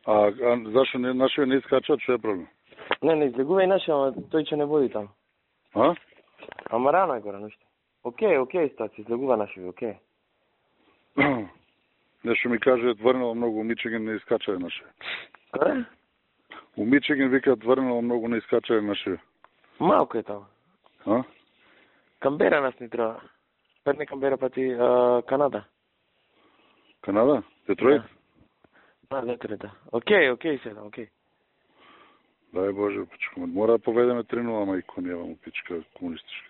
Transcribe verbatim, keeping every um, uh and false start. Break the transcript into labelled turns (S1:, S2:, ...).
S1: А, а зашо не, нашиот не искачат, што е проблем?
S2: Не, не излегува и нашиот, ама тој ќе не води таму.
S1: А?
S2: Ама рано е гора, нешто. Океј, океј, стаци, излегува нашиот, океј.
S1: Нешто ми каже, тврнало многу у Мичиген не искача наше.
S2: Каде?
S1: У Мичиген вика тврнало многу не искача наше.
S2: Малко е таму.
S1: А?
S2: Камбера нас ни треба. Пет не Камбера, па ти а, Канада.
S1: Канада? Детройт?
S2: Да, да, Детройт, да. Океј, океј седа, океј.
S1: Дај Боже, пичка. Мора да поведеме три нула, мајко, нема му пичка комунистичка.